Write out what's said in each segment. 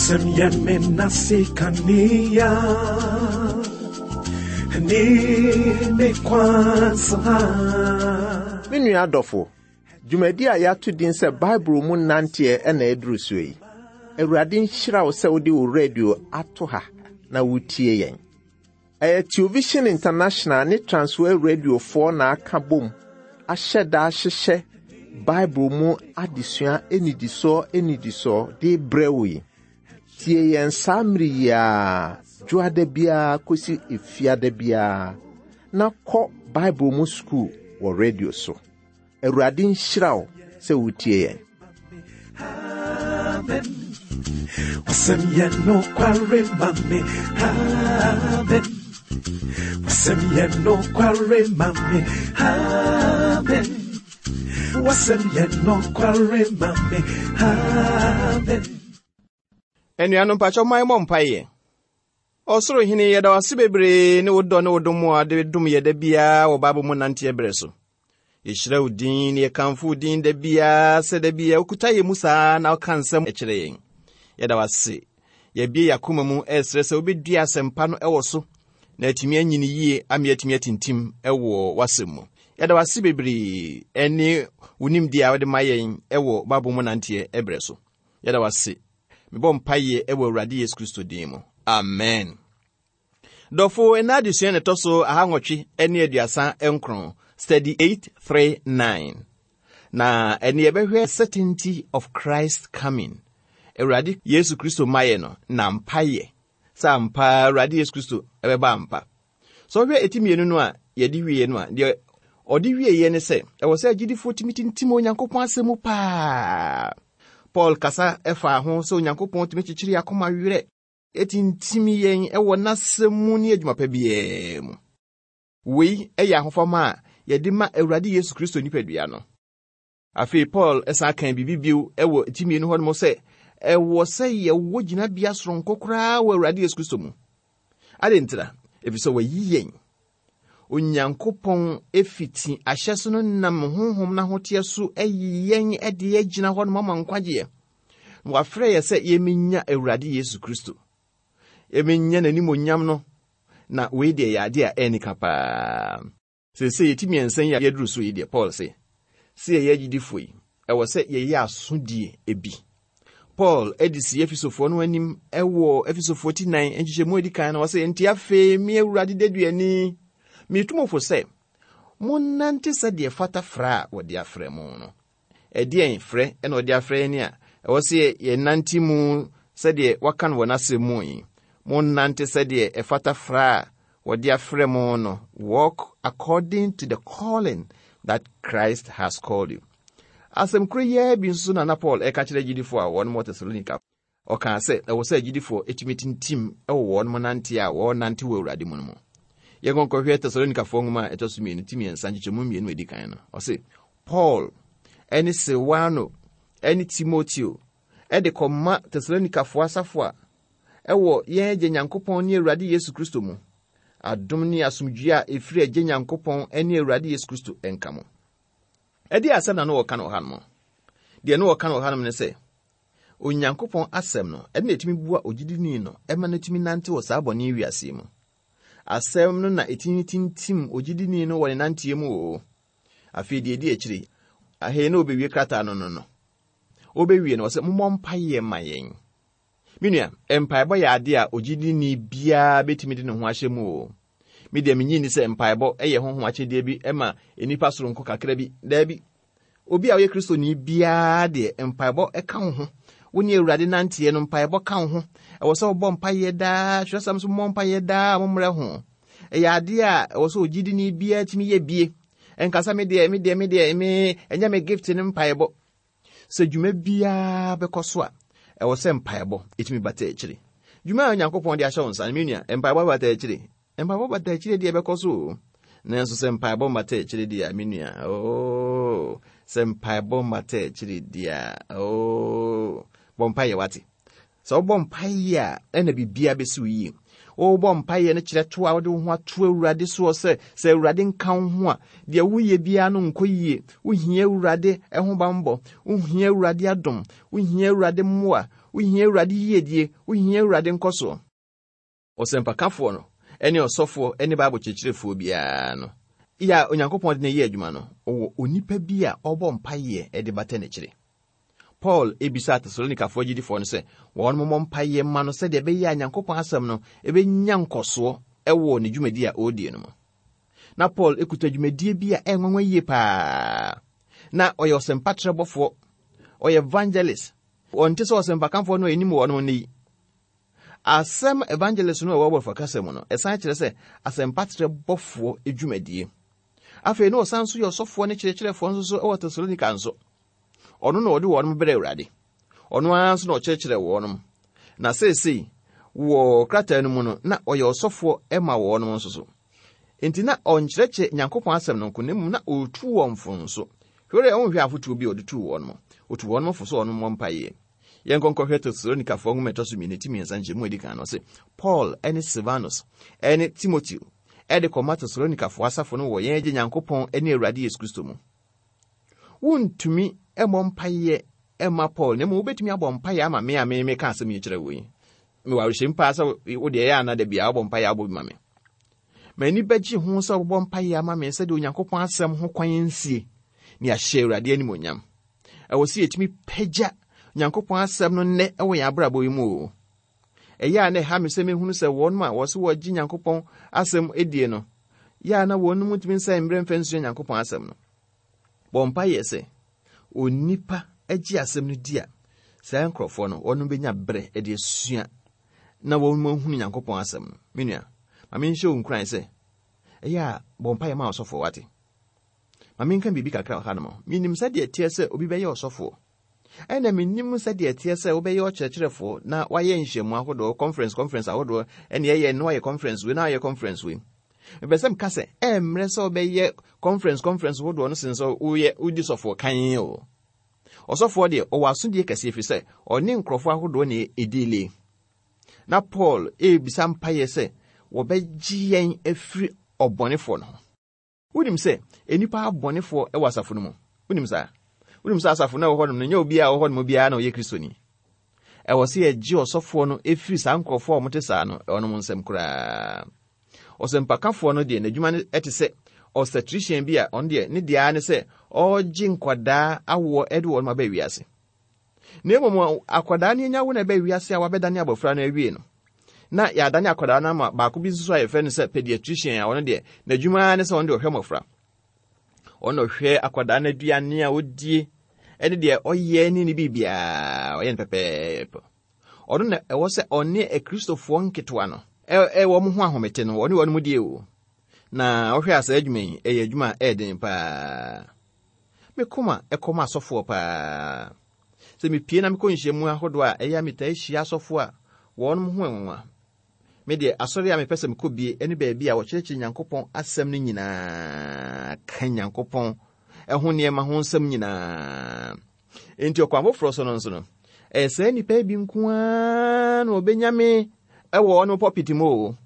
Wasɛm yɛ me nase kanea ne me kwan so ha. Me nua adɔfo, dwumadi a yɛato din sɛ Bible mu nanteɛ na ɛduru so yi. Awurade nhyira wo sɛ wode wo radio ato ha na wotie yɛn. Ɛyɛ Television International ne Transworld Radiofoɔ na aka bom ahyɛ da ahyehyɛ Bible mu adesua nnidisoɔ nnidisoɔ de brɛ wo yi. Tie yɛn saa mmere yi ara, dwoada biara kɔsi efiada biara, na kɔ Bible mu sukuu wɔ radio so. Awurade nhyira wo sɛ wotie yɛn. Amen. Wasɛm yɛ nokware ma me. Amen. Wasɛm yɛ nokware ma me. Amen. Wasɛm yɛ nokware ma me. Amen. Anuanom mpakyɛ ma yɛmmɔ mpaeɛ. Ɔsoro Hene, yɛda wo ase bebree ne wo dɔ ne wo dom a de dom yɛ da biara wɔ Bible mu nanteɛ berɛ so. Yɛhyira wo din na yɛkamfo wo din da biara sɛ da biara wokuta yɛn mu saa na woka nsɛm kyerɛ yɛn. Yɛda wo ase. Yɛabie yɛn akoma mu ɛresrɛ sɛ wobɛdua asɛmpa no wɔ so na atumi anyini yie ama yɛatumi atintim wɔ w'asɛm mu. Yɛda wo ase bebree ne wo nimdeɛ a wode ma yɛn wɔ Bible mu nanteɛ berɛ so. Yɛda wo ase. Mebɔ mpaeɛ wɔ Awurade Yesu Kristo din mu. Amen. Dɔfo, ɛna adesua na ɛtɔ so ahawɔtwe ne aduasa nkron, study 839. Na ɛne yɛbɛhwɛ certainty of Christ coming. Awurade Yesu Kristo mayɛ no na mpayɛ sɛ ampa Awurade Yesu Kristo ɛbɛba ampa. Sɛ ɔhwɛ eti mmienu no a yɛde wieɛ no a, deɛ ɔde wieɛ ne sɛ ɛwɔ sɛ agyidifoɔ tumi tintim Onyankopɔn asɛm mu paa. Paul kasa faa ho sɛ Onyankopɔn tumi kyekyere akoma werɛ, ɛtintim yɛn wɔ n'asɛm mu ne adwuma pa biara mu. Wei yɛ ahofama a yɛde ma Awurade Yesu Kristo nipadua no. Afei Paul san kan biribi bio wɔ ti mmienu hɔ nom sɛ ɛwɔ sɛ yɛwɔ gyinabea soronko koraa wɔ Awurade Yesu Kristo mu. Adɛn ntira? Efisɛ wayi yɛn. Onyankopɔn fiti ahyɛso no nam honhom n'ahoteɛ so ayi yɛn de agyina hɔ nom ama nkwagyeɛ. Na wafrɛ yɛ sɛ yɛmmenya Awurade Yesu Kristo. Yɛmmenya n'animonyam no. Na wei deɛ yɛ adeɛ a ɛnika paa. Seesei yɛti mmiɛnsa yi a yɛaduru so yi deɛ, Paul se, sɛ yɛyɛ agyidifoɔ yi, ɛwɔ sɛ yɛyɛ asodie bi. Paul de si Efesofoɔ no anim wɔ Efesofoɔ ti nan nkyekyɛmu edi kan no, ɔse, Enti afei me Awurade deduani, metu mo fo sɛ, monnante sɛdeɛ ɛfata frɛ a wɔde afrɛ mo no. Ɛdeɛn frɛ na ɔde afrɛ yɛn a ɛwɔ sɛ yɛnante mu sɛdeɛ waka no wɔ n'asɛm mu yi? Monnante sɛdeɛ ɛfata frɛ a wɔde afrɛ mo no. Walk according to the calling that Christ has called you. Asɛm koro yi ara bi nso na na Paul ɛka kyerɛ agyidifoɔ a wɔn wɔ Tesalonika. Ɔkaa sɛ ɛwɔ sɛ agyidifoɔ tumi tintim wɔ wɔn nante a wɔrenante wɔ Awurade mu no mu. Yɛnkɔ nkɔhwɛ Tesalonikafoɔ nwoma a ɛtɔ so mmienu ti mmiɛnsa nkyekyɛmu mmienu a ɛdi kan no. Ɔse, Paul ne Silwano ne Timoteo de kɔma Tesalonikafoɔ asafo a ɛwɔ yɛn Agya Nyankopɔn ne Awurade Yesu Kristo mu. Adom ne asomdwoeɛ a ɛfiri Agya Nyankopɔn ne Awurade Yesu Kristo nka mo. Ɛdeɛ asɛm na na wɔka no wɔ hanom? Deɛ na wɔka no wɔ hanom ne sɛ, Onyankopɔn asɛm no, ɛno na ɛtumi boa ogyidini no ma no tumi nante wɔ saa bɔne wiase yi mu. Asɛm no na ɛtumi tintim ogyidini no wɔ ne nanteɛ mu o. Afei deɛ ɛdi akyire, ahei na ɔbɛwie krataa no no no. Ɔbɛwie no, ɔsɛ mommɔ mpaeɛ ma yɛn. Me nua, mpaebɔ yɛ ade a ogyidini biara bɛtumi de ne ho ahyɛ mu o. Me deɛ menyi nni sɛ mpaebɔ yɛ honhom akyɛdeɛ bi ma nnipa soronko kakra bi. Daabi. Obi a ɔyɛ Kristoni biara deɛ, mpaebɔ ka wo ho. Wo ne Awurade nanteɛ no, mpaebɔ ka wo ho. Ɛwɔ sɛ wobɔ mpaeɛ daa. Twerɛsɛm so mmɔ mpaeɛ daa a mommrɛ ho. Ɛyɛ adeɛ a ɛwɔ sɛ ogyidini biara tumi yɛ bie. Ɛnkasa me deɛ, me deɛ, me deɛ, me, ɛnyɛ me gift no mpaebɔ. Sɛ dwuma biara bɛkɔ so a, ɛwɔ sɛ mpaebɔ ɛtumi bata akyire. Dwuma a Onyankopɔn de ahyɛ wo nsa no, me nua, mpaebɔ bata akyire. Mpaebɔ bata akyire deɛ ɛbɛkɔ so o. Nanso sɛ mpaebɔ mmata akyire deɛ a, me nua, oo, sɛ mpaebɔ mmata akyire deɛ a, oo, bɔ mpaeɛ wate. Sɛ wobɔ mpaeɛ a, ɛna biribiara bɛsi wo yie. Wobɔ mpaeɛ no kyerɛ to a wode wo ho ato Awurade soɔ sɛ, sɛ Awurade nka wo ho a, deɛ woyɛ biara no nkɔ yie. Wohia Awurade ho bammɔ. Wohia Awurade adom. Wohia Awurade mmoa. Wohia Awurade yiedie, wohia Awurade nkɔsoɔ. Ɔsɛmpakafoɔ no ne ɔsɔfoɔ ne Bible kyerɛkyerɛfoɔ biara no, yɛ a Onyankopɔn de no yɛ adwuma no, ɔwɔ onipa bi a ɔbɔ mpaeɛ de bata n'akyire. Paul bisaa Tesalonikafoɔ agyidifoɔ no sɛ wɔn mmɔ mpaeɛ mma no sɛdeɛ ɛbɛyɛ a Nyankopɔn asɛm no bɛnya nkɔsoɔ wɔ ne dwumadi a ɔredie no mu. Na Paul kuta dwumadie bi a ɛyɛ nwanwa yie paa. Na ɔyɛ ɔsɛmpatrɛbɔfoɔ, ɔyɛ evangelist. Ɔnte sɛ ɔsɛmpakafoɔ no a ɛnim wɔn no yi. Asɛm evangelist no a ɛwɔ Borɔfo kasa mu no, ɛsan kyerɛ sɛ asɛmpatrɛbɔfoɔ dwumadie. Afei na ɔsan nso yɛ ɔsɔfoɔ ne kyerɛkyerɛfoɔ nso so wɔ Tesalonika nso. Ɔno na ɔde wɔn brɛ Awurade. Ɔno ara nso na ɔkyerɛkyerɛ wɔn. Na seesei wɔ krataa no mu no, na ɔyɛ ɔsɔfoɔ ma wɔn nso so. Enti na ɔnkyerɛkyerɛ Nyankopɔn asɛm no nko, na mmom na ɔretu wɔn fo nso. Hwɛ dɛ wonhwɛ afotuo bi a ɔde tuu wɔn no. Ɔtu wɔn fo sɛ wɔn mmɔ mpaeɛ. Yɛnkɔ nkɔhwɛ Tesalonikafoɔ nwoma ɛtɔ so mmienu ti mmiɛnsa nkyɛmu a ɛdi kan no ɔse, Paul ne Silvanus ne Timoteo de kɔma Tesalonikafoɔ asafo no wɔ yɛn Agya Nyankopɔn ne Awurade Yesu Kristo mu. Wontumi mmɔ mpaeɛ mma Paul, na mmom wobɛtumi abɔ mpaeɛ ama me a me meka asɛm yi kyerɛ wo yi. Mewɔ awerɛhyɛmu paa sɛ wo deɛ ɛyɛ ana da biara wobɔ mpaeɛ abɔ bi ma me. M'ani bɛgye ho sɛ wobɔ mpaeɛ ama me sɛdeɛ Onyankopɔn asɛm ho kwan nsie ne ahyɛ Awurade animuonyam. Ɛwɔ sɛ yɛtumi pagya Onyankopɔn asɛm no nnɛ wɔ yɛn abrabɔ yi mu o. Ɛyɛ a na ɛha me sɛ mehunu sɛ wɔn a wɔse wɔgye Nyankopɔn asɛm die no, yɛ a na wɔn mu ntumi nsɛe mmerɛ mfa nsua Nyankopɔn asɛm no. Bɔ mpaeɛ sɛ onipa gye asɛm no di a, saa nkurɔfoɔ no, wɔn bɛnya berɛ de asua na wɔn ahunu Nyankopɔn asɛm no. Me nua, ma menhyɛ wo nkuran sɛ, ɛyɛ a bɔ mpaeɛ ma ɔsɔfoɔ wate. Ma menka biribi kakra wɔ hanom. Menim sɛdeɛ ɛteɛ sɛ obi bɛyɛ ɔsɔfoɔ. Ɛna menim sɛdeɛ ɛteɛ sɛ wobɛyɛ ɔkyerɛkyerɛfoɔ na wayɛ nhyiamu ahodoɔ, conference conference ahodoɔ, ɛne ɛyɛ na wayɛ conference wei na wayɛ conference wei. Mepɛ sɛ meka sɛ ɛmmerɛ sɛ wobɛyɛ conference conference hodoɔ no sen sɛ woyɛ wodi sɔfoɔ kan o. Ɔsɔfoɔ deɛ ɔwɔ asodie kɛseɛ ɛfiri sɛ ɔne nkurɔfoɔ ahodoɔ na ɛdiile. Na Paul ɛrebisa mpaeɛ sɛ wɔbɛgye yɛn afiri ɔbɔnefoɔ no ho. Wonim sɛ nnipa abɔnefoɔ wɔ asafo no mu? Wonim saa? Wonim sɛ asafo no a ɛwɔ hɔnom no, nyɛ obiara a ɔwɔ hɔnom biara na ɔyɛ Kristoni. Ɛwɔ sɛ yɛgye ɔsɔfoɔ no firi saa nkurɔfoɔ a wɔte saa no wɔnom nsam koraa. Ɔsɛmpakafoɔ no deɛ n'adwuma no te sɛ obstetrician bi a ɔno deɛ ne deɛ ara ne sɛ ɔregye nkwadaa awoɔ de wɔn aba wiase. Na mmom akwadaa no anya wo na ɛbɛ wiase a wabɛdane abɔfra no awie no, na yɛadane akwadaa no ama baako bi nso so a yɛfrɛ no sɛ pediatrician a ɔno deɛ n'adwuma ara ne sɛ ɔno deɛ ɔhwɛ mmɔfra. Ɔno ɔhwɛ akwadaa no aduane a ɔdie ɛne deɛ ɔyɛ ne ne biribiara ɔyɛ no pɛpɛɛpɛ. Ɔno na ɛwɔ sɛ ɔne akristofoɔ nketewa no ɛwɔ wɔn ho ahomete no ɔne wɔn mu die o. Na ɔhwɛ a saa adwuma yi ɛyɛ adwuma a ɛyɛ den paa. Me koma kɔ ma asɔfoɔ paa. Sɛ mepie na mekɔ nhyiamu ahodoɔ a, ɛyɛ a metaa hyia asɔfoɔ a wɔn ho nwanwa. Me deɛ, asɔre a mepɛ sɛ mekɔ bie ne baabi a wɔkyerɛkyerɛ Nyankopɔn asɛm no nyinaa, ka Nyankopɔn ho nneɛma ho nsɛm nyinaa. Enti ɔkwan foforɔ so no nso no, ɛyɛ saa nnipa yi bi nko ara na wɔbɛnya me wɔ wɔn pulpit mu o.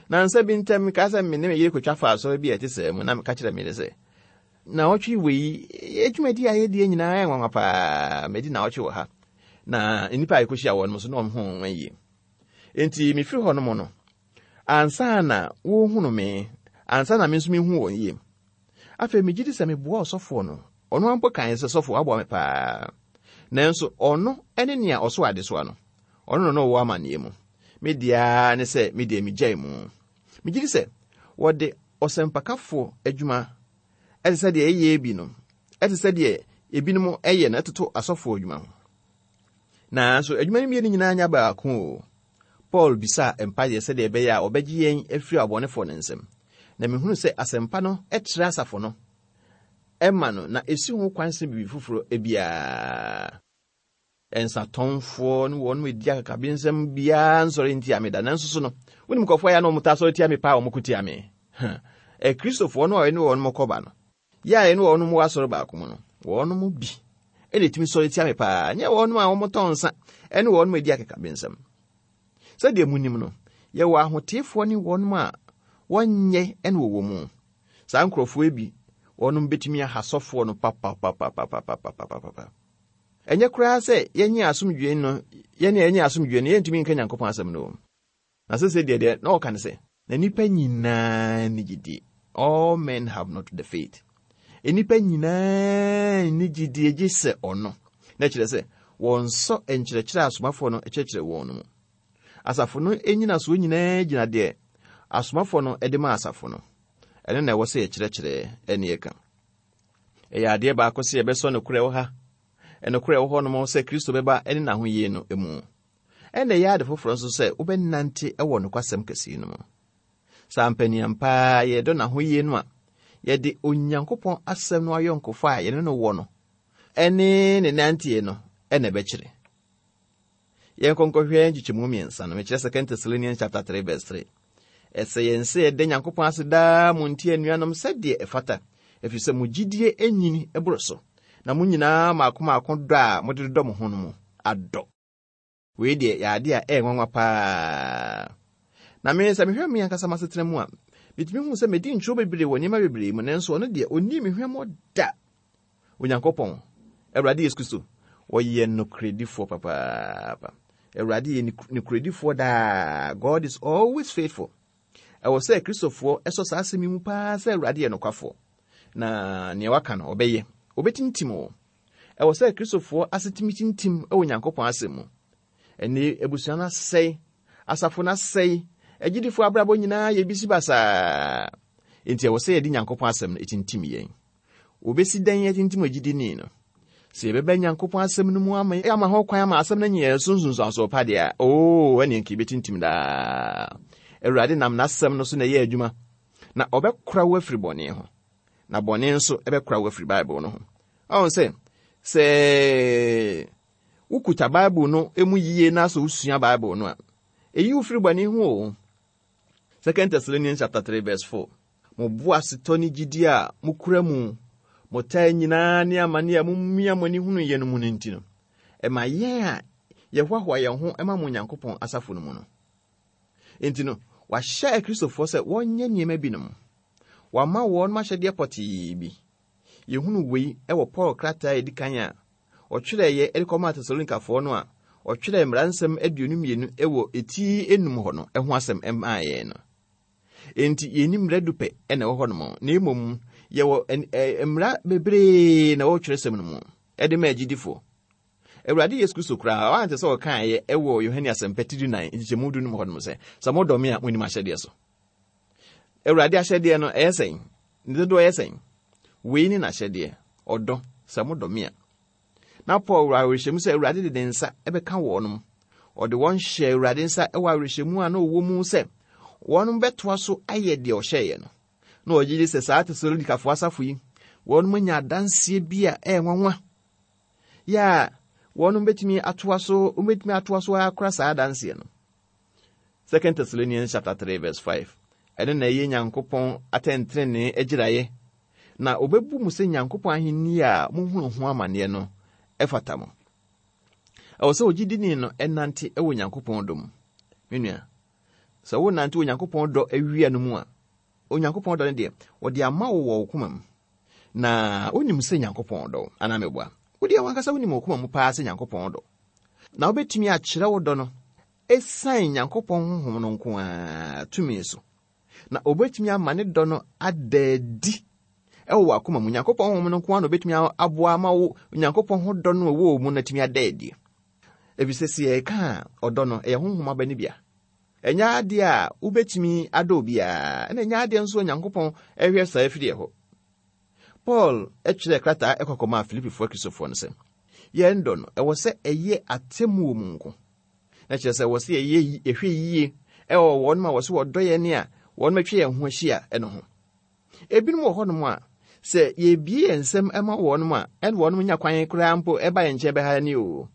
Nansa bi ntam, mekaa sɛ me ne me yere kotwa faa asɔre bi a ɛte saa mu, na meka kyerɛ me yere sɛ, Naawɔtwe wei, adwumadi a yɛdi nyinaa yɛ nwanwa paa. Madi naawɔtwe wɔ ha. Na nnipa a yɛkɔhyia wɔn nso, na wɔn ho nwanwa yie. Enti mefiri hɔ nom no, ansa na wɔhunu me, ansa na me nso mehu wɔn yie. Afei megye di sɛ meboa ɔsɔfoɔ no. Ɔno ara mpo kae sɛ, Sɔfo, woaboa me paa. Nanso ɔno ne nea ɔso adesoa no. Ɔno na na ɔwɔ amanneɛ mu. Me deɛ ara ne sɛ me deɛ megyae mu. Megye di sɛ wɔde ɔsɛmpakafoɔ adwuma ɛte sɛ deɛ ɛyɛ bi no, ɛte sɛ deɛ ebinom ɛyɛ no ɛtoto asɔfoɔ adwuma ho. Nanso adwuma no mmienu nyinaa nyɛ baako o. Paul bisaa mpaeɛ sɛdeɛ ɛbɛyɛ a wɔbɛgye yɛn afiri abɔnefoɔ no nsam. Na mehunu sɛ asɛmpa no kyerɛ asafo no ma no na ɛsi ho kwan sene biribi foforɔ biara. Nsatɔnfoɔ ne wɔn a ɛdi akakabensɛm biara nsɔre ntia me da. Nanso so no, wonim nkurɔfoɔ a ɛyɛ a na wɔtaa sɔre tia me paa a wɔko tia me? Akristofoɔ no a ɛne wɔn kɔba no, yɛ a ɛne wɔn wɔ asɔre baako mu no, wɔn mu bi na ɛtumi sɔre tia me paa, nyɛ wɔn a wɔtɔn nsa ne wɔn a ɛdi akakabensɛm. Sɛdeɛ monim no, yɛwɔ ahoteefoɔ ne wɔn a wɔnyɛ na wɔwɔ mu. Saa nkurɔfoɔ yi bi, wɔn bɛtumi aha sɔfoɔ no papapapapapapapapa. Ɛnyɛ koraa sɛ yɛnyɛ asomdwoe no, yɛne yɛnyɛ asomdwoe no, yɛntumi nka Nyankopɔn asɛm no. Na sese deɛ deɛ na ɔka ne sɛ, na nnipa nyinaa nni gyidie. All men have not the faith. Nnipa nyinaa nni gyidie gye sɛ ɔno. Na kyerɛ sɛ, wɔnsɔ nkyerɛkyerɛ a asomafoɔ no kyerɛkyerɛ wɔn no mu. Asafo no nnyinasoɔ nyinaa gyina deɛ asomafoɔ no de ma asafo no. Ɛno na ɛwɔ sɛ yɛkyerɛkyerɛ ne yɛka. Ɛyɛ adeɛ baako sɛ yɛbɛsɔ nokorɛ wɔ ha, nokorɛ wɔ hɔnom sɛ Kristo bɛba ne n'ahoyie no mu. Ɛna ɛyɛ ade foforɔ nso sɛ wobɛnante wɔ nokwasɛm kɛseɛ no mu. Sɛ ampaniampa ara yɛdɔ n'ahoyie no a, yɛde Onyankopɔn asɛm no ayɔnkofa a yɛne no wɔ no ne ne nanteɛ no na ɛbɛkyerɛ. Yɛnkɔ nkɔhwɛ nkyekyɛmu mmiɛnsa no, mekyerɛ Second Thessalonians chapter 3 verse 3. Ɛsɛ yɛn sɛ yɛda Nyankopɔn ase daa mo nti anuanom sɛdeɛ ɛfata, ɛfiri sɛ mo gyidie anyini boro so, na mo nyinaa mmaako mmaako dɔ a mode dodɔ mo ho no mu adɔ. Wei deɛ yɛ adeɛ a ɛyɛ nwanwa paa. Na me, sɛ mehwɛ me ankasa m'asetena mu a, metumi hu sɛ medi ntwerɛ bebree wɔ nneɛma bebree mu, nanso ɔno deɛ ɔnnii me hwammɔ da. Onyankopɔn, Awurade Yesu Kristo, ɔyɛ nokorɛdifoɔ papaapa. Awurade yɛ nokorɛdifoɔ daa. God is always faithful. Ɛwɔ sɛ Kristofoɔ ɛsɔ saa asɛm yi mu paa sɛ Awurade yɛ nokwafoɔ. Na nea waka no, ɔbɛyɛ. Ɔbɛtintim o. Ɛwɔ sɛ Kristofoɔ asetumi tintim wɔ Onyankopɔn asɛm mu. Ɛnne abusua no asɛe, asafo no asɛe, agyidifoɔ abrabɔ nyinaa yɛ bisi basaa. Enti ɛwɔ sɛ yɛde Nyankopɔn asɛm no tintim yɛn. Wobesi dɛn atintim ogyidini no? Sɛ yɛbɛba Nyankopɔn asɛm no mu ama ama ho kwan ama asɛm no anya yɛn so nsunsuansoɔ pa deɛ a, oo, ɛneɛ nka yɛbɛtintim daa. Awurade nam n'asɛm no so na ɛyɛ adwuma, na ɔbɛkora wo afiri bɔne ho, na bɔne nso ɛbɛkora wo afiri Bible no ho. Ɔhu sɛ, sɛ wokuta Bible no mu yie na sɛ wosua Bible no a, ɛyi wo firi bɔne ho o. Second Thessalonians chapter 3 verse 4. Mo boasetɔ ne gyidi a mokura mu, mo taa nyinaa ne amane a mumia mo ani hunu yɛ no mu no nti no, ɛma yɛn a yɛhoahoa yɛn ho ma mo Onyankopɔn asafo no mu no. Enti no, wahyɛ Akristofoɔ sɛ wɔnyɛ nneɛma binom. Wama wɔn ahyɛdeɛ pɔtee bi. Yɛhunu wei wɔ Paul krataa a ɛdi kan a ɔtwerɛeɛ de kɔmaa Tesalonikafoɔ no a ɔtwerɛɛ mmara nsɛm 22 wɔ eti enum hɔ no ho asɛm maa yɛn no. Enti yɛnni mmara du pɛ na ɛwɔ hɔnom, na mmom yɛwɔ mmara bebree na ɛwɔ twerɛsɛm no mu ɛde ma agyidifoɔ. Awurade Yesu Kristo koraa, wante sɛ ɔkaeɛ ɛwɔ Yohane Asɛmpa ti 14 nkyekyɛmu 15 hɔnom sɛ, sɛ modɔ me a, monim ahyɛdeɛ so. Awurade ahyɛdeɛ no, ɛyɛ sɛn? Ne dodoɔ yɛ sɛn? Wei ne n'ahyɛdeɛ, ɔdɔ, sɛ modɔ me a. Na Paul wɔ awerɛhyɛmu sɛ Awurade de ne nsa bɛka wɔnom. Ɔde wɔn hyɛɛ Awurade nsa wɔ awerɛhyɛmu a na ɔwɔ mu sɛ wɔnom bɛtoa so ayɛ deɛ ɔhyɛeɛ no. Na ɔgye di sɛ saa Tesalonikafoɔ asafo yi, wɔnom anya adanseɛ bi a ɛyɛ nwanwa yɛ a wɔnom bɛtumi atoa so, wɔbɛtumi atoa so akora saa adanseɛ no. Second Thessalonians chapter 3 verse 5. Ɛno na ɛyɛ Nyankopɔn atɛntenenee agyiraeɛ na obebu mo sɛ Nyankopɔn ahenni a muhunu ho amanneɛ no fata mo. Ɛwɔ sɛ ogyidini no nante wɔ Nyankopɔn dɔ mu. Me nua, sɛ wonante wɔ Nyankopɔn dɔ awia no mu a, Onyankopɔn dɔ no deɛ, wɔde ama wo wɔ wo koma mu. Na wonim sɛ Nyankopɔn dɔ wo, anaa meboa? Wo deɛ wankasa wonim wɔ koma mu paa sɛ Nyankopɔn dɔ. Na wobɛtumi akyerɛ wo dɔ no esiane Nyankopɔn honhom no nko ara tumi so. Na obetumi ama ne dɔ no ada adi wɔ w'akoma mu. Nyankopɔn honhom no nko ara na obetumi aboa ama wo Onyankopɔn ho dɔ no a ɛwɔ wo mu no atumi ada adi. Efisɛ sɛ yɛka a, ɔdɔ no, ɛyɛ honhom aba no bi a. Ɛnyɛ adeɛ a wobetumi adɔ obiara, ɛna ɛnyɛ adeɛ nso a Onyankopɔn hwɛ saa afiri ɛhɔ. Paul kyerɛɛ krataa ɛkɔ kɔmaa Filipifoɔ Akristofoɔ no sɛ, yɛn dɔ no, ɛwɔ sɛ ɛyɛ atemmuo mu nko. Na kyerɛ sɛ wɔ sɛ yɛyɛ yɛhwɛ yie ɛwɔ wɔn a wɔsɛ wɔdɔ yɛn a wɔn atwa yɛn ho ahyia ɛno ho. Ebinom wɔ hɔnom a sɛ yɛbie yɛn nsam ma wɔn a ɛne wɔn nya kwan koraa mpo ɛba yɛn nkyɛn bɛha ne o.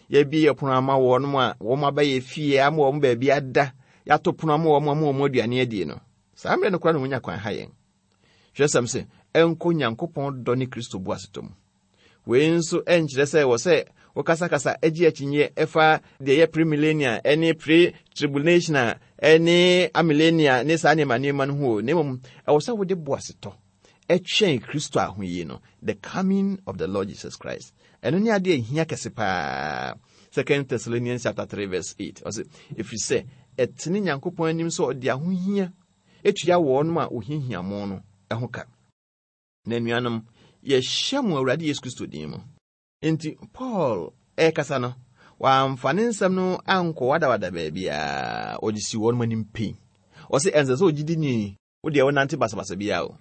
Yɛbie yɛ pono ama wɔn a wɔn aba yɛ fie ama wɔn baabi ada, yɛato pono ama wɔn ama wɔn aduane adie no. Saa mmerɛ no koraa na wɔnya kwan ha yɛn. Twerɛsɛm se, ɛnkɔ Nyankopɔn dɔ ne Kristo boasetɔ mu. Wei nso nkyerɛ sɛ wɔ sɛ wokasakasa gye akyinnyeɛ ɛfa deɛ ɛyɛ premillennial ne pre-tribulational ne amillennial ne saa nneɛma nneɛma no ho o, na mmom ɛwɔ sɛ wode boasetɔ twɛn Kristo ahoyi no, the coming of the Lord Jesus Christ. Ɛno ne adeɛ a ɛhia kɛse paa. Second Thessalonians chapter 3 verse 8. Ɔse, ɛfiri sɛ ɛtene Nyankopɔn anim sɛ ɔde ahohia tua wɔnom a wɔhiahia mo no ho ka. Na anuanom, yɛhyɛ mo Awurade Yesu Kristo din mu. Enti Paul rekasa no, wamfa ne nsɛm no ankɔwadawada baabiara, ɔde si wɔn anim pɛn. Ɔse ɛnsɛ sɛ ogyidini wo deɛ wonante basabasa biara o.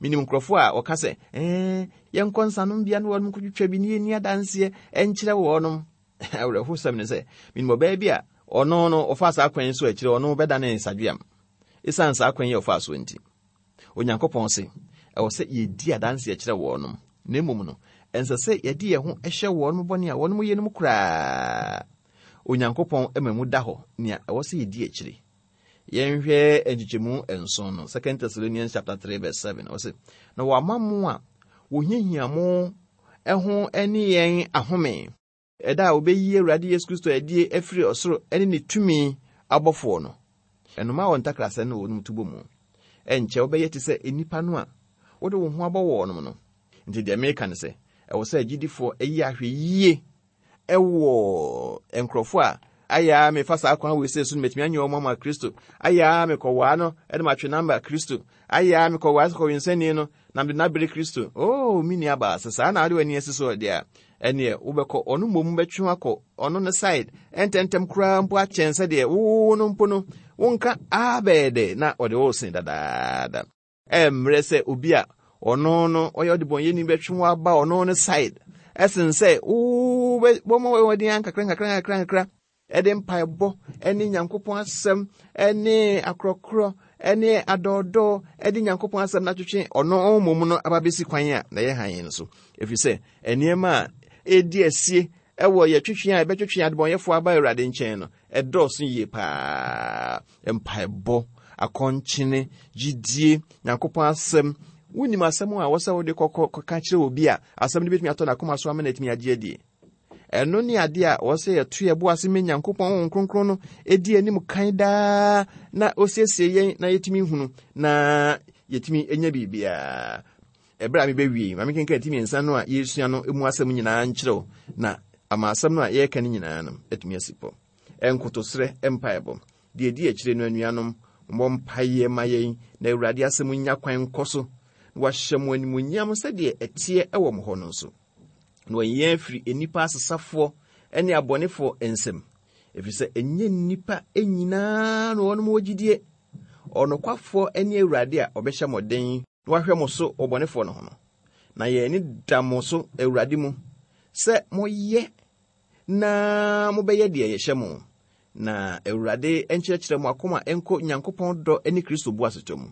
Menim nkurɔfoɔ a wɔka sɛ, ɛɛ, yɛnkɔ nsanom bea ne wɔnom nkɔtwitwa bi ne yɛnni adanseɛ nkyerɛ wɔnom. Awerɛhosɛm ne sɛ, menim ɔbaa bi a ɔno no ɔfaa saa kwan yi so akyire ɔno bɛdane nsadweam. Esiane saa kwan yi a ɔfaa soɔ nti. Onyankopɔn se, ɛwɔ sɛ yɛdi adanseɛ kyerɛ wɔnom, na mmom no, ɛnsɛ sɛ yɛde yɛn ho hyɛ wɔnom bɔne a wɔnom yɛ no mu koraa. Onyankopɔn ma mu da hɔ nea ɛwɔ sɛ yɛdi akyire. Yɛnhwɛ nkyekyɛmu nson no, 2 Thessalonians chapter 3 verse 7. Ɔse, na wɔama mo a wɔhiahia mo ho ne yɛn ahome, ɛda a wɔbɛyi Awurade Yesu Kristo adie afiri ɔsoro ne ne tumi abɔfoɔ no. Ɛnoma wɔ ntakrasɛ no wɔnom tubɔ mu. Ɛnkyɛ wobɛyɛ te sɛ nnipa no a wode wo ho abɔ wɔnom no. Nti deɛ meka ne sɛ, ɛwɔ sɛ agyidifoɔ yi ahwɛ yie ɛwɔ nkurɔfoɔ a ayɛ a mefa saa kwan wei sɛ so no matumi anyɛ wɔn ama Kristo, ayɛ a mekɔwaa no de matwe namba Kristo, ayɛ a mekɔwaa sɛ kɔwensani no na mede no abere Kristo. Oh, me nua baa, sɛ saa na wode w'ani asi so deɛ a, ɛneɛ wobɛkɔ ɔno mmom bɛtwe akɔ ɔno ne side ɛntɛntɛm koraa mpo akyɛn sɛdeɛ wo no mpo no wonka abɛɛ dɛ na ɔde wo sen dadaada. Ɛmmerɛ sɛ obi a ɔno no ɔyɛ ɔdebɔnyɛni bɛtwe wo aba ɔno no side ɛsen sɛ wobɛbɔ wɔden ankakra nkakra nkakra nkakra ɛde mpaebɔ ɛne Nyankopɔn asɛm ɛne akorɔkorɔ ɛne adɔɔdɔɔ ɛde Nyankopɔn asɛm no atwetwe ɔno mmom no aba bɛsi kwan a na ɛyɛ hann no so, ɛfiri sɛ nneɛma a ɛdi asie ɛwɔ yɛtwetwe a ɛbɛtwetwe adebɔnyɛfoɔ aba Awurade nkyɛn no ɛdɔɔso yie paa. Mpaebɔ, akɔnkyene, gyidie, Nyankopɔn asɛm. Wonim asɛm a wɔsɛ wode kɔkɔ kɔka kyerɛ obi a asɛm no bɛtumi atɔ n'akoma so ama no atumi agye adie. Ɛno ne adeɛ a wɔsɛ yɛto yɛbo ase ma Nyankopɔn Honhom Kronkron no ɛdi anim kan daa na ɔsiesie yɛn na yɛtumi hunu na yɛtumi nya biribiara. Ɛberɛ a mebɛwie, ma mekenkan ti mmiɛnsa no a yɛresua no mu asɛm nyinaa nkyerɛ wo na ama asɛm no a yɛreka no nyinaa no atumi asi pɔ. Nkotosrɛ mpaebɔ. Deɛ ɛdi akyire no, anuanom, mommɔ mpaeɛ ma yɛn na Awurade asɛm nnya kwan nkɔ so, na wahyɛ mo animuonyam sɛdeɛ ɛteɛ wɔ mo hɔ no nso, na wayi yɛn afiri nnipa asesafoɔ ne abɔnefoɔ nsam, ɛfiri sɛ ɛnyɛ nnipa nyinaa na wɔnom wɔ gyidie. Ɔnokwafoɔ ne Awurade a ɔbɛhyɛ mo den na wahwɛ mo so wɔ bɔnefoɔ no ho no. Na yɛn ani da mo so Awurade mu sɛ moyɛ na mobɛyɛ deɛ yɛhyɛ mo, na Awurade nkyerɛkyerɛ mo akoma nkɔ Nyankopɔn dɔ ne Kristo boasetɔ mu.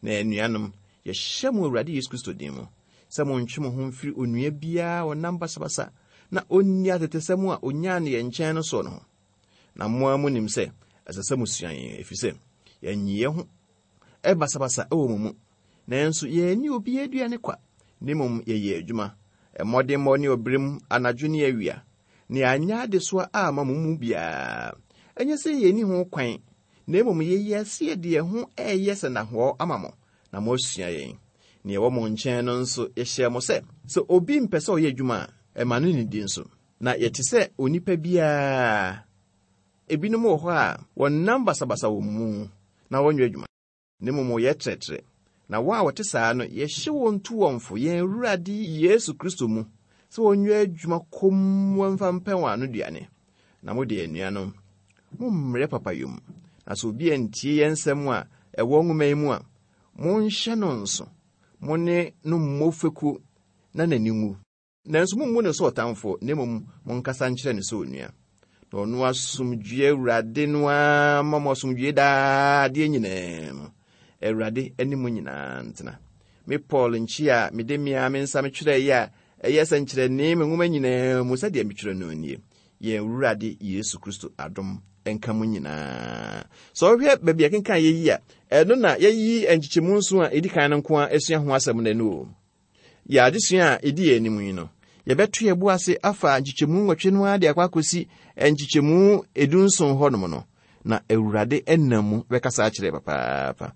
Na anuanom, yɛhyɛ mo Awurade Yesu Kristo din mu, sɛ montwe mo ho mfiri onua biara a ɔnam basabasa na ɔnni atetesɛm a ɔnyaa no yɛn nkyɛn no soɔ no ho. Na mo ara monim sɛ ɛsɛ sɛ mosua yɛn, ɛfiri sɛ yɛanyi yɛn ho basabasa wɔ mo mu, nanso yɛanni obiara aduane kwa, na mmom yɛyɛɛ adwuma, mmɔdemmɔ ne ɔbrɛ mu, anadwo ne awia, na yɛanyɛ adesoa amma mo mu biara. Ɛnyɛ sɛ yɛnni ho kwan, na mmom yɛyɛɛ sɛ yɛde yɛn ho reyɛ sɛnnahɔɔ ama mo, na moasua yɛn. Nea ɛwɔ mo nkyɛn no nso, yɛhyɛɛ mo sɛ, sɛ obi mpɛ sɛ ɔyɛ adwuma a, mma no nnidi nso. Na yɛte sɛ onipa biara. Ebinom wɔ hɔ a, wɔnam basabasa wɔ mo mu, na wɔnyɛ adwuma, na mmom wɔyɛ trɛtrɛ. Na wɔn a wɔte saa no, yɛhyɛ wɔn tu wɔn fo yɛn Awurade Yesu Kristo mu sɛ wɔnyɛ adwuma komm mfa mpɛ wɔn ano duane. Na mo de, anuanom, mommrɛ papayɔ mu. Na sɛ obi antie yɛn nsɛm a ɛwɔ nwoma yi mu a, monhyɛ no nso, mo ne no mmɔ fekuo na n'ani nwu. Nanso mummu no sɛ ɔtamfo, na mmom monkasa nkyerɛ no sɛ onua. Na ɔno asomdwoe Awurade no ara mma mo asomdwoe daa adeɛ nyinaa mu. Awurade ne mo nyinaa ntena. Me Paul nkyia a mede me ara me nsa metwerɛeɛ a ɛyɛ sɛnkyerɛnne me nwoma nyinaa mu sɛdeɛ metwerɛ no nie. Yɛn Awurade Yesu Kristo adom nka mo nyinaa. Sɛ wohwɛ baabi a yɛkenkan yɛ yi a, ɛno na yɛyi nkyekyɛmu nson a ɛdi kan no nko ara asua ho asɛm no ɛno o. Yɛn adesua a edi yɛn anim yi no, yɛbɛto yɛn bo ase afa nkyekyɛmu nwɔtwe no ara de akɔ akɔsi nkyekyɛmu edunson hɔnom no, na Awurade nam mu bɛkasa akyerɛ papaapa.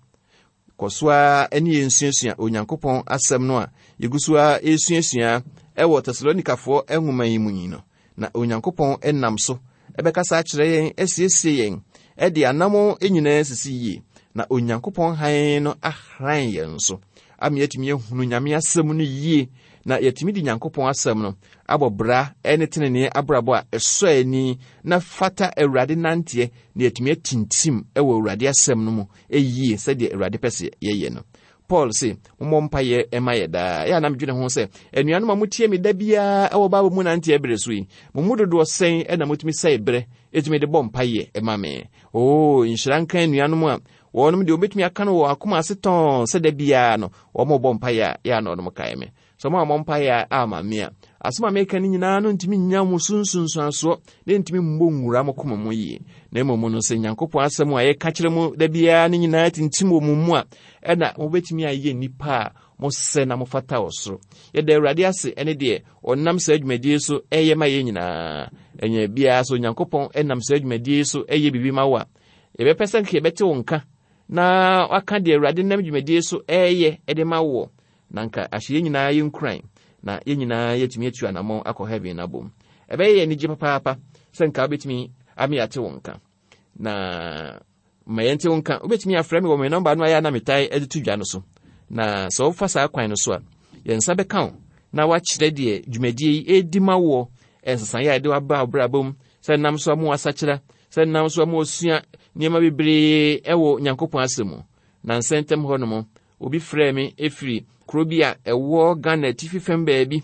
Kɔ so ara ne yɛn nsuasua Onyankopɔn asɛm no a yɛgu so ara resuasua wɔ Tesalonikafoɔ nwoma yi mu yi no, na Onyankopɔn nam so bɛkasa akyerɛ yɛn, asiesie yɛn, de anammɔn nyinaa asisi yie, na Onyankopɔn hann no ahran yɛn so ama yɛatumi ahunu Nyame asɛm no yie, na yɛatumi de Nyankopɔn asɛm no abɔ bra ne tenenee abrabɔ a ɛsɔ ani na fata Awurade nanteɛ, na yɛatumi atintim wɔ Awurade asɛm no mu yie sɛdeɛ Awurade pɛ sɛ yɛyɛ no. Paul se, mommɔ mpaeɛ ma yɛ daa. Ɛyɛ a na medwene ho sɛ, anuanom a motie me da biara wɔ Bible mu nanteɛ berɛ so yi, mo mu dodoɔ sɛn na motumi sɛe berɛ ɛtumi de bɔ mpaeɛ ma me? Oo, nhyira nka anuanom a wɔnom deɛ wɔbɛtumi aka no wɔ akoma ase tɔn sɛ da biara no wɔmɔbɔ mpaeɛ a yɛ a na wɔnom kae me. Sɛ moammɔ mpaeɛ amma me a, asɛm a meka no nyinaa no ntumi nnya mo so nsunsuansoɔ na ɛntumi mmɔ nwura mo koma mu yie. Na mmom no, sɛ Nyankopɔn asɛm a yɛka kyerɛ mo da biara no nyinaa tintim wɔ mo mu a, ɛna mobɛtumi ayɛ nnipa a mosɛ na mofata ɔsoro. Yɛda Awurade ase ɛne deɛ ɔnam saa dwumadie so ɛyɛ ma yɛn nyinaa. Ɛnyɛ biara sɛ Onyankopɔn nam saa dwumadie so ɛyɛ biribi ma wo a, yɛbɛpɛ sɛ nka yɛbɛte wo nka na waka deɛ Awurade nam dwumadie so ɛyɛ de ma woɔ. Na anka ahyɛ yɛn nyinaa yɛn nkuran na yɛn nyinaa yɛatumi atu anammɔn akɔ heaven no abom. Ɛbɛyɛ yɛn anigye papaapa sɛ nka wobɛtumi ame ate wo nka. Na ma yɛnte wo nka. Wobɛtumi afrɛ me wɔ me nɔmba no a yɛ a na metae de to dwa no so. Na sɛ wofa saa kwan no so a, yɛn nsa bɛka wo na woakyerɛ deɛ dwumadie yi ɛredi ma woɔ, nsesaeɛ a ɛde waba wo brabɔ mu, sɛ nam so ama wasakyera, sɛ nam so ama wasua nneɛma bebree ɛwɔ Nyankopɔn asɛm mu. Na nsɛntɛm hɔ nom, Obi frɛɛ me firi kuro bi a ɛwɔ Ghana atifi fam baabi.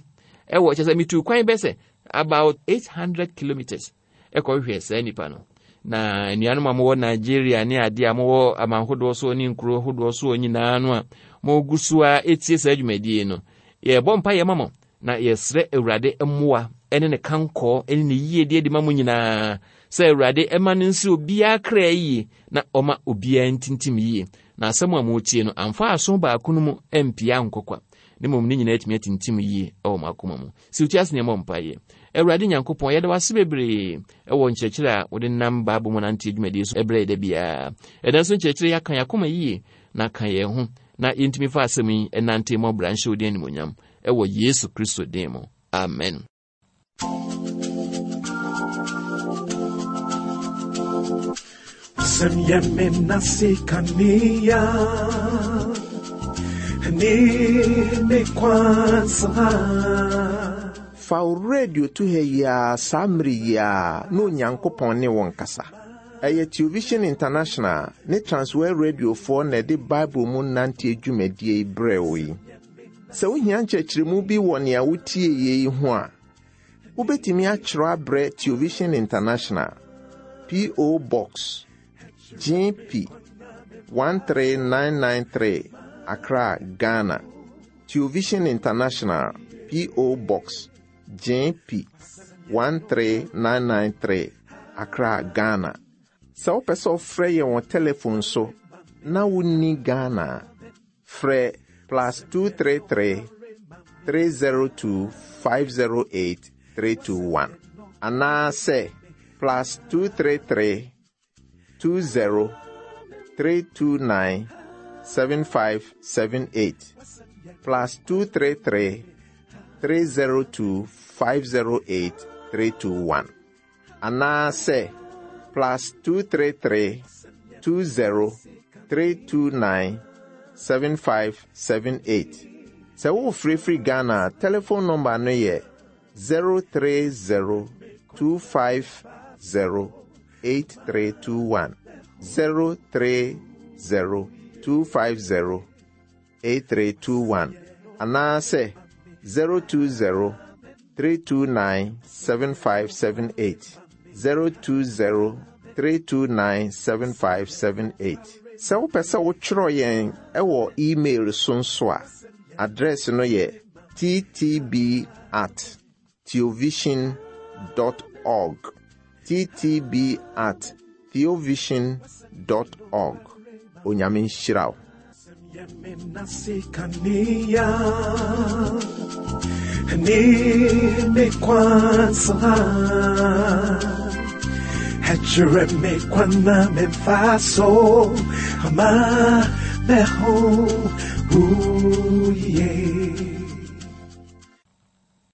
Ɛwɔ kyɛ sɛ metuu kwan bɛ sɛ about 800 kilometers ɛkɔhwehwɛ saa nipa no. Na anuanom a mowɔ Nigeria ne adeɛ a mowɔ aman hodoɔ soɔ ne nkuro hodoɔ soɔ nyinaa no a mogu so a ɛtie saa dwumadie no, yɛbɔ mpa yɛ ma mo na yɛsrɛ Awurade mmoa ne ne kankɔɔ ne ne yiedie de ma mo nyinaa sɛ Awurade ɛma no nsi obiara kra yie na ɔma obiara ntintim yie. Na asɛm a moretie no amfa aso baako no mu ampue ankɔ kwa, na mmom ne nyinaa atumi atintim yie wɔ mo akoma mu. Siw ti ase na yɛmmɔ mpaeɛ. Awurade Nyankopɔn, yɛda wo ase bebree wɔ nkyerɛkyerɛ a wode nam Bible mu nanteɛ dwumadie so brɛ yɛ da biara. Ɛda nso nkyerɛkyerɛ yi aka yɛn akoma yie na ka yɛn ho na yɛntumi fa asɛm yi nante mmɔ bra nhyɛ wo din animuonyam wɔ Yesu Kristo din mu. Amen. Sɛm yɛ me nase kanea ne me kwansa. Fa wo radio to ha yi ara saa mmere yi ara na Onyankopɔn ne wo nkasa. Ɛyɛ Television International ne Transworld Radiofoɔ na ɛde Bible mu nanteɛ dwumadie yi brɛɛ wo yi. Sɛ wohia nkyerɛkyerɛmu bi wɔ nea wotieeɛ yi ho a, wobɛtumi atwerɛ abrɛ Television International, P.O. Box, GP 13993, Accra, Ghana. Television International, P.O. Box, GP 13993, Accra, Ghana. Sɛ wopɛ sɛ wofrɛ yɛn wɔ telefon so na wonni Ghana a, Frɛ plus 233 302 508 321 anaasɛ plus 233 20 329 7578 plus 233 302 508 321 anaasɛ plus 233 20 329 7578. Sɛ worefrɛ firi Ghana a, telefon nɔmba no yɛ 030 250 8321. 030 250 8321 anaasɛ 020 329 7578 020 329 7578. Sɛ wopɛ sɛ wotwerɛ yɛn wɔ email so nso a, address no yɛ ttb at theovision dot org ttb at theovision dot org Onyame nhyira wo. Meho, ooh, yeah.